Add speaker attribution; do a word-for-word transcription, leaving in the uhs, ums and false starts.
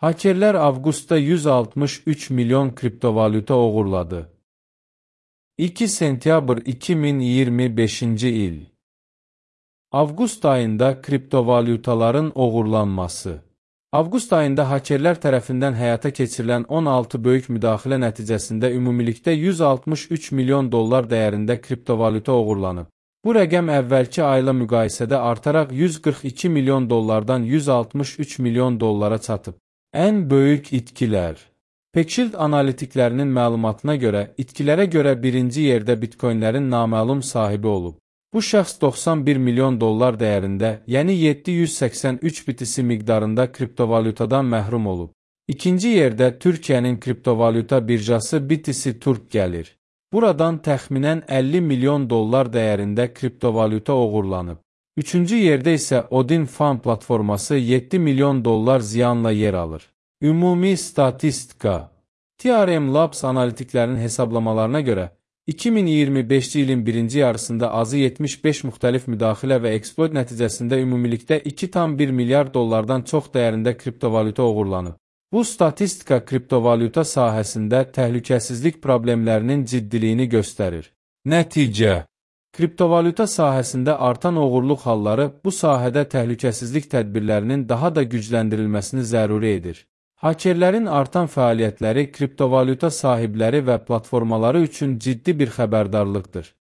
Speaker 1: Hakerlər avqustda yüz altmış üç milyon kriptovalyuta oğurladı. iki sentyabr iki min iyirmi beşinci il. Avqust ayında kriptovalyutaların oğurlanması. Avqust ayında hakerlər tərəfindən həyata keçirilən on altı böyük müdaxilə nəticəsində ümumilikdə yüz altmış üç milyon dollar dəyərində kriptovalyuta oğurlanıb. Bu rəqəm əvvəlki ayla müqayisədə artaraq yüz qırx iki milyon dollardan yüz altmış üç milyon dollara çatıb. Ən böyük itkilər. Pekshield analitiklərinin məlumatına görə, itkilərə görə birinci yerdə bitcoinlərin naməlum sahibi olub. Bu şəxs doxsan bir milyon dollar dəyərində, yəni yeddi yüz səksən üç bitisi miqdarında kriptovalyutadan məhrum olub. İkinci yerdə Türkiyənin kriptovalyuta birjası B T C Turk gəlir. Buradan təxminən əlli milyon dollar dəyərində kriptovalyuta oğurlanıb. Üçüncü yerdə isə Odin Fund platforması yeddi milyon dollar ziyanla yer alır. Ümumi statistika. T R M Labs analitiklərinin hesablamalarına görə, iki min iyirmi beşinci ilin birinci yarısında azı yetmiş beş müxtəlif müdaxilə və eksploit nəticəsində ümumilikdə iki tam bir milyard dollardan çox dəyərində kriptovalyuta oğurlanıb. Bu statistika kriptovalyuta sahəsində təhlükəsizlik problemlərinin ciddiliyini göstərir. Nəticə. Kriptovalyuta sahəsində artan oğurluq halları bu sahədə təhlükəsizlik tədbirlərinin daha da gücləndirilməsini zəruri edir. Hakerlərin artan fəaliyyətləri kriptovalyuta sahibləri və platformaları üçün ciddi bir xəbərdarlıqdır.